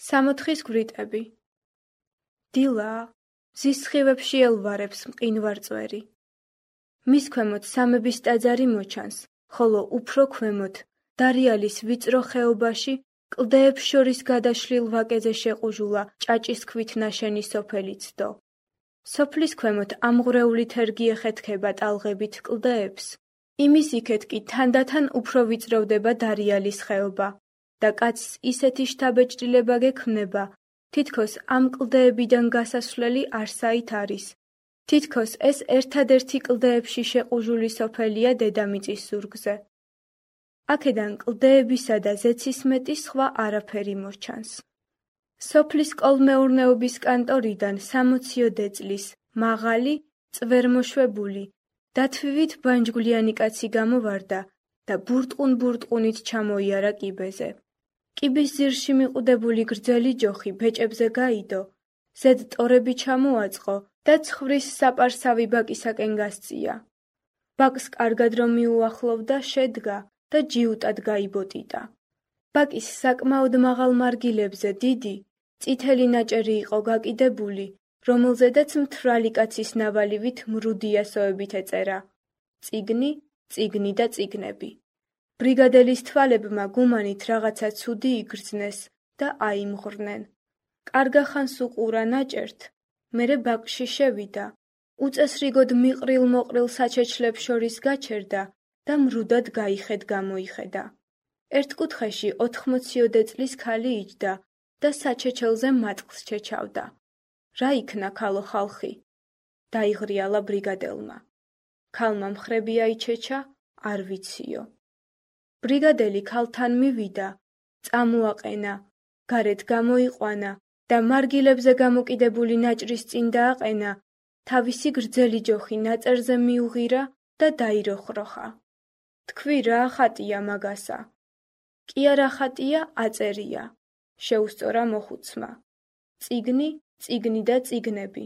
სამოთხის გვრიტები. დილაა, მზის სხივებში ელვარებს მყინვარ წვერი. მის ქვემოთ სამების ტაძარი მოჩანს, ხოლო უფრო ქვემოთ, დარიალის ვიწრო ხეობაში, კლდეებს შორის გადაშლილ ვაკეზე შეყუჟულა ჭაჭის ქვით ნაშენი სოფელი ცდო. სოფლის ქვემოთ ამღვრეული თერგი ეხეთქება ტალღებით კლდეებს. იმის იქეთ კი თანდათან უფრო ვიწროვდება დარიალის ხეობა და კაცს ისეთი შთაბეჭდილება გექმნება, თითქოს ამ კლდეებიდან გასასვლელი არსაით არის. თითქოს ეს ერთადერთი კლდეებში შეყუჟული სოფელია დედამიწის ზურგზე. აქედან კლდეებისა და ზეცის მეტი სხვა არაფერი მოჩანს. სოფლის კოლმეურნეობის კანტორიდან 60 წლის მაღალი, წვერმოშვებული, დათვივით ბანჯგვლიანი კაცი გამოვარდა და ბურტყუნ-ბურტყუნით ჩამოიარა კიბეზე. კიბის ძირში მიყუდებული გრძელი ჯოხი ბეჭებზე გაიდო, ზედ ტორები ჩამოაწყო და ცხვრის საპარსავი ბაკისაკენ გასწია. ბაკს კარგად რომ მიუახლოვდა, შედგა და ჯიუტად გაიბოტიტა. ბაკის საკმაოდ მაღალ მარგილებზე დიდი, წითელი ნაჭერი იყო გაკიდებული, რომელზედაც მთვრალი კაცის ნავალივით მრუდიასოებით ეწერა: წიგნი, წიგნი და წიგნები. ბრიგადელის თვალებმა გუმანით რაღაცა ცუდი იგრძნეს და აიმღვრნენ. კარგახანს უყურა ნაჭერთ, მერე ბაკში შევიდა, უწესრიგოდ მიყრილ-მოყრილ საჩეჩლებს შორის გაჩერდა და მრუდად გაიხედ-გამოიხედა. ერთ კუთხეში 80 წლის ქალი იჯდა და საჩეჩელზე მატყლს ჩეჩავდა. რა იქნა ქალო ხალხი? დაიღრიალა ბრიგადელმა. ქალმა მხრები აიჩეჩა, არ ვიციო. ბრიგადელი ქალთან მივიდა, წამოაყენა, გარეთ გამოიყვანა და მარგილებზე გამოკიდებული ნაჭრის წინ დააყენა, თავისი გრძელი ჯოხი ნაწერზე მიუღირა და დაიროხროხა. თქვი რა ხატია მაგასა? კი არა ხატია, აწერია, შეუსწორა მოხუცმა. წიგნი, წიგნი და წიგნები.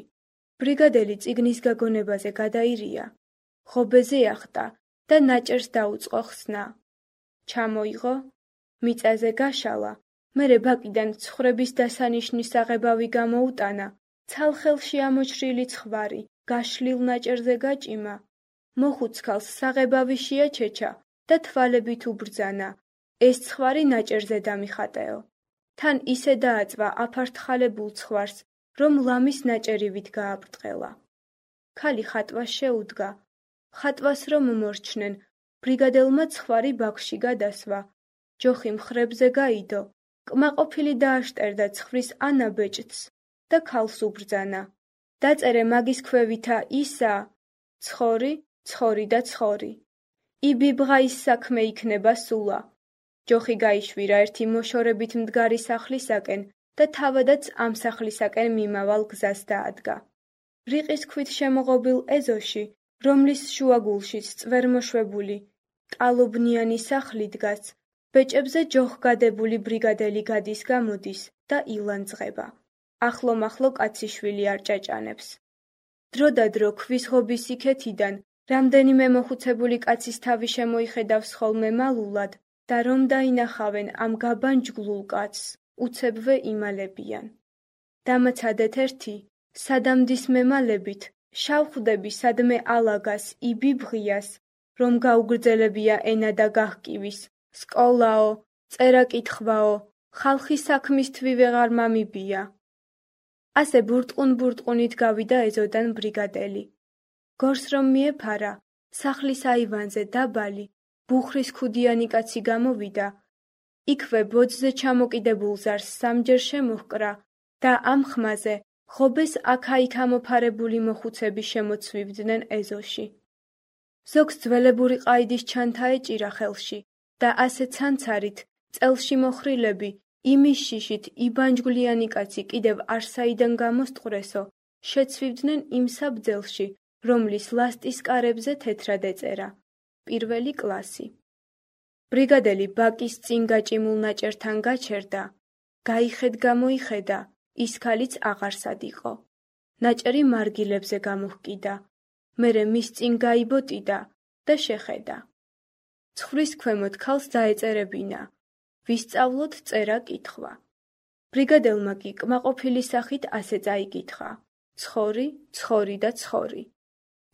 ბრიგადელი წიგნის გაგონებაზე გადაირია, ღობეზე ახტა და ნაჭერს დაუწყო ხსნა. ჩამოიღო, მიწაზე გაშალა, მერე ბაკიდან ცხრების დასანიშნის აღებავი გამოუტანა, ცალხელში ამოჭრილი ცხვარი, გაშლილ ნაჭერზე გაჭიმა. მოხუც ქალს საღებავი შეაჩეჩა და თვალებით უბრძანა, ეს ცხვარი ნაჭერზე დამიხატეო. თან ისე დააწვა აფართხალებულ ცხვარს, რომ ლამის ნაჭერივით გააბრტყელა. ქალი ხატვას შეუდგა. ხატვას რომ მორჩნენ, ბრიგადელმა ცხვარი ბაქში გადასვა. ჯოხი მხრებზე გაიდო, კმაყოფილი დააშტერდა ცხვრის ანაბეჭდს და ქალს უბრძანა. დაწერე მაგის ქვევითა ისა, ცხორი, ცხორი და ცხორი. იბიბღა ის საქმე იქნება სულა. ჯოხი გაიშვირა ერთი მოშორებით მდგარი სახლისაკენ და თავადაც ამ სახლისაკენ მიმავალ გზას დაადგა. რიყის ქვით შემოღობილ ეზოში, რომლის შუაგულშიც წვერმოშვებული, ტალობნიანი სახლი დგას, ბეჭებზე ჯოხგადებული ბრიგადელი გადის-გამოდის და ილანძღება. ახლო-მახლო კაციშვილი არ ჭაჭანებს. დრო და დრო ქვის ღობის იქეთიდან რამდენიმე მოხუცებული კაცის თავი შემოიხედავს ხოლმე მალულად და რომ დაინახავენ ამ გაბანჯგლულ კაცს, უცებვე იმალებიან. დამაცადეთ ერთი, სადამდის მემალებით, შავხდები სადმე ალაგას იბიბღიას, რომ გაუგრძელებია ენა და გահკივის, სკოლაო, წერა-კითხვაო, ხალხი საქმისთვის ვეღარ მამიბია. ასე ბურტყუნ-ბურტყუნით გავიდა ეზოდან ბრიგადელი. გორს რომ მიეფარა, სახლის აივანზე დაბალი, ბუხრის ქუდიანი კაცი გამოვიდა. იქვე ბოძზე ჩამოკიდებულ ზარს სამჯერ შემოჰკრა და ამ ხმაზე ღობეს აქა-იქ ამოფარებული მოხუცები შემოცვივდნენ ეზოში. ზოგს ძველებური ყაიდის ჩანთა ეჭირა ხელში და ასე ცანცარით, წელში მოხრილები, იმის შიშით იბანჯგვლიანი კაცი კიდევ არსაიდან გამოსტყვრესო, შეცვივდნენ იმ საბძელში, რომლის ლასტის კარებზე თეთრად ეწერა: პირველი კლასი. ბრიგადელი ბაკის წინ გაჭიმულ ნაჭერთან გაჩერდა, გაიხედ-გამოიხედა, ის ქალიც აღარსად იყო. ნაჭერი მარგილებზე გამოჰკიდა, მერე მის წინ გაიბოტიდა და შეხედა. ცხვრის ქვემოთ ქალს დაეწერებინა, ვისწავლოთ წერა-კითხვა. ბრიგადელმა კი კმაყოფილი სახით ასე წაიკითხა: "ცხორი, ცხორი და ცხორი."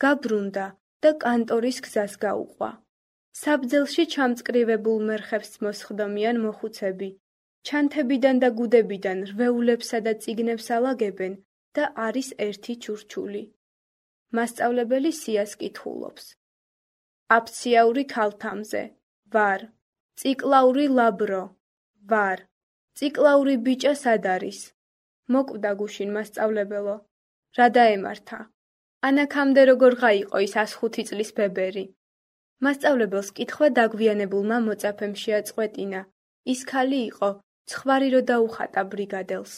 გაბრუნდა და კანტორის გზას გაუყვა. საბძელში ჩამწკრივებულ მერხებს მოსხდომიან მოხუცები, ჩანთებიდან და გუდებიდან რვეულებსა და წიგნებს ალაგებენ და არის ერთი ჩურჩული. მასწავლებელი სიას კითხულობს: "აფციაური ქალთამზე, ვარ. ციკლაური ლაბრო, ვარ. ციკლაური ბიჭა სად არის?" მოკვდა გუშინ მასწავლებელო. "რა დაემართა? ანაქამდე როგორ გაიყო ის 105 წლის ბებერი?" მასწავლებელს კითხვა დაგვიანებულმა მოწაფემ შეაწყვეტინა. ის ქალი იყო, ცხვარი რო დაუხატა ბრიგადელს.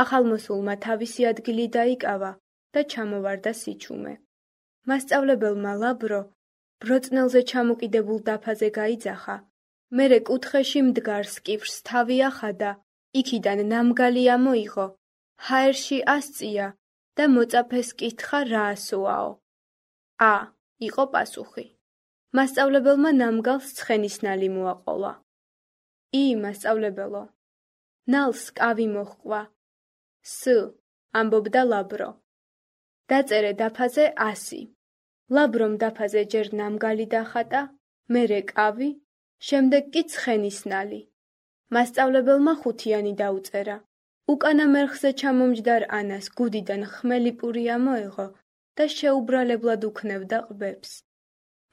ახალმოსულმა თავისი ადგილი დაიკავა და ჩამოვარდა სიჩუმე. მასწავლებელმა ლაბრო ბროწნელზე ჩამოკიდებულ დაფაზე გაიძახა, მერე კუთხეში მდგარს კიფრს თავი ახადა, იქიდან ნამგალი ამოიღო, ჰაერში ასწია და მოწაფეს კითხა რა ასოაო. "ა" იყო პასუხი. მასწავლებელმა ნამგალს ცხენისნალი მოაყოლა. "ი, მასწავლებელო." "ნალს კავი მოჰყვა." "ს" ამბობდა ლაბრო. დაწერე დაფაზე 100. ლაბრომ დაფაზე ჯერ ნამგალი დახატა, მერე კავი, შემდეგ კი ცხენისნალი. მასწავლებელმა 5-იანი დაუწერა. უკანა მერხზე ჩამომჯდარ ანას გუდიდან ხმელი პური ამოეღო და შეუბრალებლად უქნევდა ყბებს.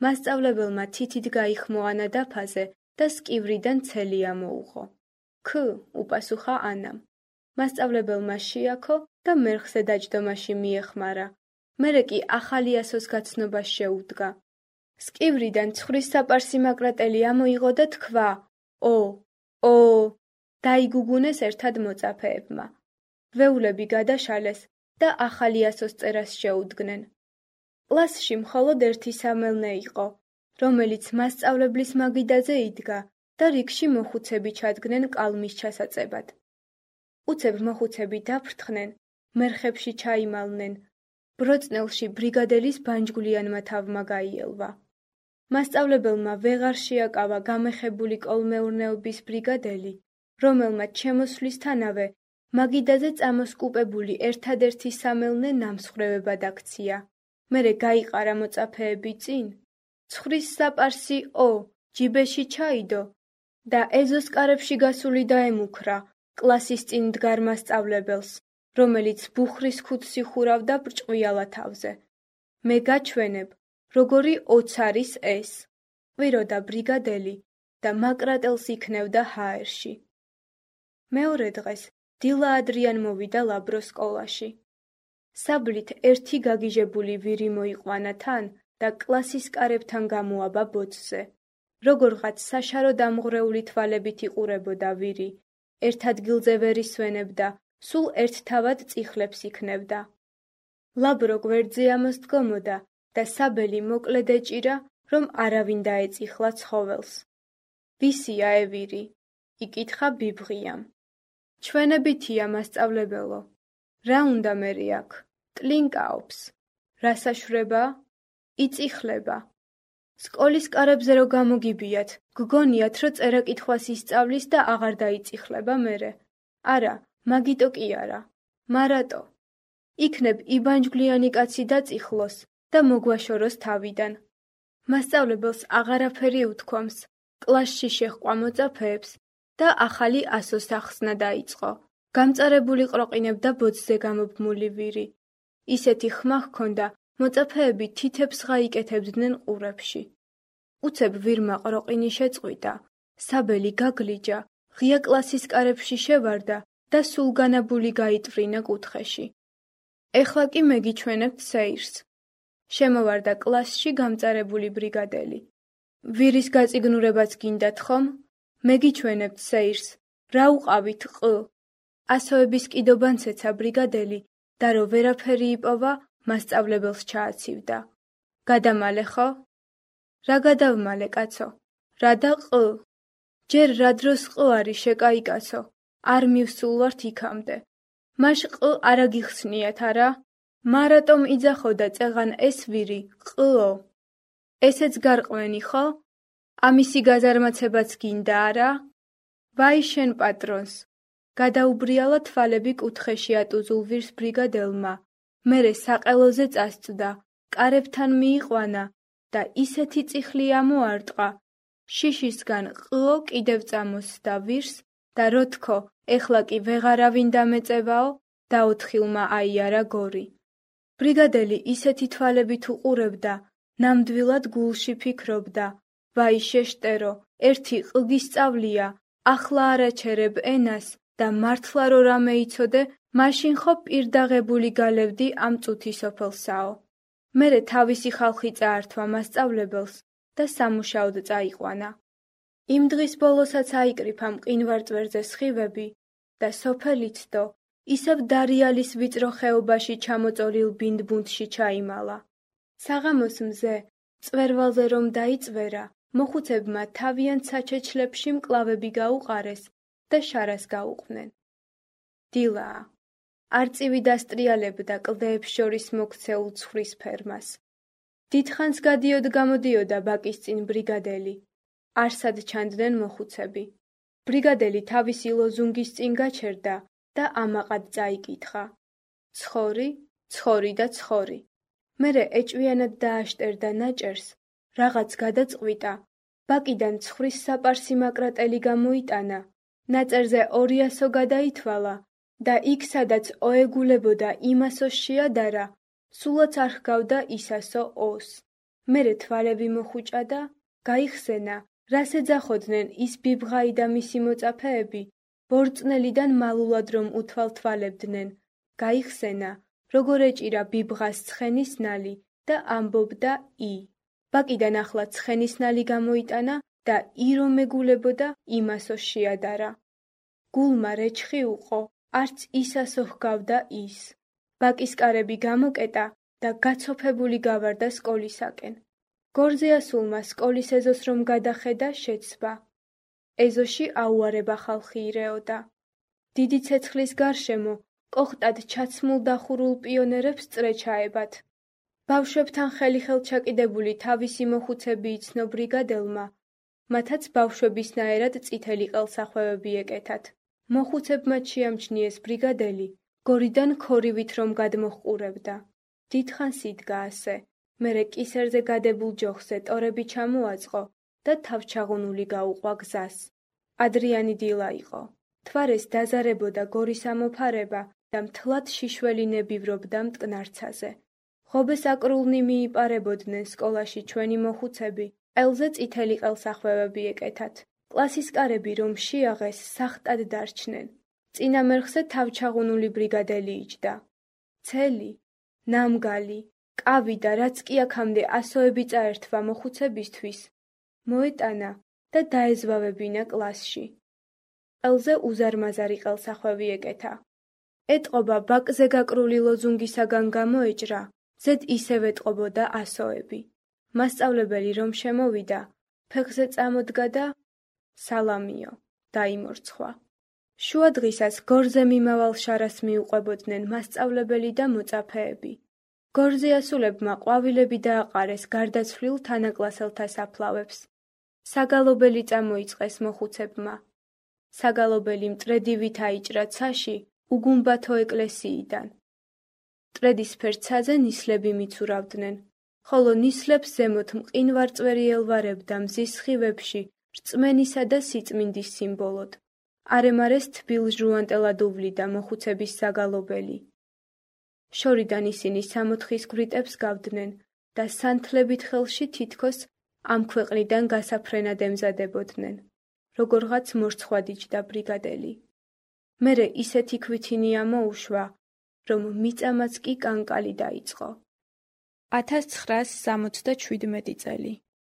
მასწავლებელმა თითით გაიხმო ანა დაფაზე და სკივრიდან ცელი ამოუღო. "ქ" უპასუხა ანამ. მასწავლებელმა შეაქო და მერხზე დაჯდომაში მიეხმარა. მერე კი ახალი ასოს გაცნობას შეუდგა. სკივრიდან ცხრის საპარსი მაკრატელი ამოიღო და თქვა: "ო, ო!" დაიგუგუნეს ერთად მოწაფეებმა. ვეულები გადაშალეს და ახალი ასოს წერას შეუდგნენ. კლასში მხოლოდ ერთი სამელნე იყო, რომელიც მასწავლებლის მაგიდაზე იდგა და რიგში მოხუცები ჩადგნენ კალმის ჩასაწებად. უცებ მოხუცები დაფრთხნენ, მერხებში ჩაიმალნენ. ბროწნელში ბრიგადელის ბანჯგვლიანმა თავმა გაიელვა. მასწავლებელმა ვეღარ შეაკავა გამეხებული კოლმეურნეობის ბრიგადელი, რომელმაც შემოსვლისთანავე მაგიდაზე წამოსკუპებული ერთადერთი სამელნე ნამსხვრევებად აქცია. მერე გაიყარა მოწაფეები წინ, "ცხრის საპარსი ო, ჯიბეში ჩაიდო" და ეზოს კარებში გასული დაემუქრა კლასის წინ მდგარ მასწავლებელს, რომელიც ბუხრის ქუდს იხურავდა ბრჭყვიალა თავზე. "მე გაჩვენებ, როგორი 20 არის ეს", ყვიროდა ბრიგადელი და მაკრატელს იქნევდა ჰაერში. მეორე დღეს დილა ადრიან მოვიდა ლაბრო სკოლაში. საბლით ერთი გაგიჟებული ვირი მოიყვანა თან და კლასის კარებთან გამოაბა ბოძზე. როგორღაც საშარო დამღვრეული თვალებით იყურებოდა ვირი, ერთ ადგილზე ვერ ისვენებდა, სულ ერთთავად წიხლებს იქნევდა. ლაბრო გვერდზე ამოსდგომოდა და საბელი მოკლედ ეჭირა, რომ არავინ დაეწიხლა ცხოველს. "ვისია ე ვირი?" იკითხა ბიბღიამ. "ჩვენებითია, მასწავლებელო." "რა უნდა მერე აქ?" "ტლინკაობს." "რა საშვრება?" "იწიხლება." "სკოლის კარებზე რო გამოგიბიათ, გგონიათ, რო წერა-კითხვას ისწავლის და აღარ დაიწიხლება მერე?" "არა, მაგიტო კი არა." "მარატო?" "იქნებ იბანჯგვლიანი კაცი დაწიხლოს და მოგვაშოროს თავიდან." მასწავლებელს აღარაფერი უთქვამს, კლასში შეჰყვა მოწაფეებს და ახალი ასოს ახსნა დაიწყო. გამწარებული ყროყინებდა ბოძზე გამობმული ვირი. ისეთი ხმა ჰქონდა, მოწაფეები თითებს გაიკეთებდნენ ყურებში. უცებ ვირმა ყროყინი შეწყვიტა, საბელი გაგლიჯა, ღია კლასის კარებში შევარდა და სულგანაბული გაიტვრინა კუთხეში. "ეხლა კი მეგიჩვენებთ სეირს." შემოვარდა კლასში გამწარებული ბრიგადელი. "ვირის გაწიგნურებაც გინდათ ხომ? მეგიჩვენებთ სეირს. რა უყავით ყ?" ასოების კიდობანს ეცა ბრიგადელი და რო ვერაფერი იპოვა, მასწავლებელს ჩააცივდა. "გადამალე ხო?" "რა გადავმალე, კაცო?" "რა და ყ?" "ჯერ რა დროს ყ არის შეკაიკაცო, არ მივსულვართ იქამდე. მაშ ყ არა გიხსნიათ არა? მარატომ იძახოდა წეღან ეს ვირი, ყო. ესეც გარყვენი ხო? ამისი გაზარმაცებაც გინდა არა? ვაი შენ პატრონს, გადაუბრიალა თვალები კუთხეში ატუზულ ვირს ბრიგადელმა, მერე საყელოზე წასწდა, კარებთან მიიყვანა და ისეთი წიხლი ამოარტყა, შიშისგან ყლო კიდევ წამოსდა ვირს და როთქო, ეხლა კი ვეღარავინ დამეწევაო, დაოთხილმა აიარა გორი. ბრიგადელი ისეთი თვალებით უყურებდა, ნამდვილად გულში ფიქრობდა, ვაი შეშტერო, ერთი ყლგისწავლია, ახლა არაჩერებ ენას და მართლა რო რამე იცოდე, მაშინ ხო პირდაღებული გალევდი ამ წუთი სოფელსაო. მერე თავისი ხალხი წაართვა მასწავლებელს და სამუშაოდ წაიყვანა. იმ დღის ბოლოსაც აიკრიფა მყინვარწვერზე სხივები და სოფელი ცდო, ისევ დარიალის ვიწრო ხეობაში ჩამოწოლილ ბინდბუნდში ჩაიმალა. საღამოს მზე, წვერვალზე რომ დაიწვერა, მოხუცებმა თავიანთ საჩეჩლებში მკლავები გაუყარეს და შარას გაუყვნენ. დილაა. არწივი დასტრიალებდა კლდეებს შორის მოქცეულ ცხვრის ფერმას. დიდხანს გადიოდ-გამოდიოდა ბაკის წინ ბრიგადელი. არსად ჩანდნენ მოხუცები. ბრიგადელი თავისი ლოზუნგის წინ გაჩერდა და ამაყად წაიკითხა. ცხორი, ცხორი და ცხორი. მერე ეჭვიანად დააშტერდა ნაჭერს, რაღაც გადაწყვიტა, ბაკიდან ცხვრის საპარსი მაკრატელი გამოიტანა, ნაწერზე 200 გადაითვალა და იქ სადაც ოეგულებოდა იმასოს შეადარა, სულაც არ ჰგავდა ისასო ოს. მერე თვალები მოხუჭა და გაიხსენა, რას ეძახოდნენ ის ბიბღაი და მისი მოწაფეები, ბორწნელიდან მალულად რომ უთვალთვალებდნენ, გაიხსენა, როგორ ეჭირა ბიბღას ცხენისნალი და ამბობდა ი. ბაკიდან ახლა ცხენისნალი გამოიტანა და ი რომ ეგულებოდა იმასოს შეადარა. გულმა რეჩხი უყო, არც ისასო ჰგავდა ის. ბაკის კარები გამოკეტა და გაცოფებული გავარდა სკოლისაკენ. გორზე ასულმა სკოლის ეზოს რომ გადახედა, შეცვა. ეზოში აუარება ხალხი ირეოდა. დიდი ცეცხლის გარშემო კოხტად ჩაცმულ დახურულ პიონერებს წრე ჩაებათ. ბავშვებთან ხელი-ხელ ჩაკიდებული თავისი მოხუცები იცნო ბრიგადელმა, მათაც ბავშვებისნაირად წითელი ყელსახვევები ეკეთათ. მოხუცებმა შეამჩნიეს ბრიგადელი, გორიდან ქორივით რომ გადმოჰყურებდა. დიდხანს იდგა ასე, მერე კისერზე გადებულ ჯოხზე ტორები ჩამოაწყო და თავჩაღუნული გაუყვა გზას. ადრიანი დილა იყო. თვარეს დაზარებოდა გორის ამოფარება და მთლად შიშველი ნებივრობდა მტკნარცაზე. ღობეს აკრულნი მიიპარებოდნენ სკოლაში ჩვენი მოხუცები, ყელზე წითელი ყელსახვევები ეკეთათ. კლასის კარები რომ შეაღეს, სახტად დარჩნენ. წინა მერხზე თავჩაღუნული ბრიგადელი იჯდა. ცელი, ნამგალი, კავი და რაც კი აქამდე ასოები წაერთვა მოხუცებისთვის, მოეტანა და დაეზვავებინა კლასში. ყელზე უზარმაზარი ყელსახვევი ეკეთა. ეტყობა ბაკზე გაკრული ლოზუნგისაგან გამოეჭრა, ზედ ისევ ეტყობოდა ასოები. მასწავლებელი რომ შემოვიდა, ფეხზე წამოდგა და სალამიო, დაიმორცხვა. შუა დღისას გორზე მიმავალ შარას მიუყვებოდნენ მასწავლებელი და მოწაფეები. გორზე ასულებმა ყვავილები დააყარეს გარდაცვლილ თანაკლასელთა საფლავებს. საგალობელი წამოიწყეს მოხუცებმა. საგალობელი მტრედივით აიჭრა ცაში უგუმბათო ეკლესიიდან. მტრედისფერ ცაზე ნისლები მიცურავდნენ, ხოლო ნისლებს ზემოთ მყინვარწვერი ელვარებდა მზის სხივებში რწმენისა და სიწმინდის სიმბოლოდ. არემარეს თბილ ჟუანტელად უვლიდა მოხუცების საგალობელი. შორიდან ისინი 60 გვრიტებს გავდნენ და სანთლებით ხელში თითქოს ამ ქვეყნიდან გასაფრენად ემზადებოდნენ. როგორღაც მორცხვად იჯდა ბრიგადელი. მერე ისეთი ქვითინი ამოუშვა, რომ მიწამაც კი კანკალი დაიწყო. 1977 წელი.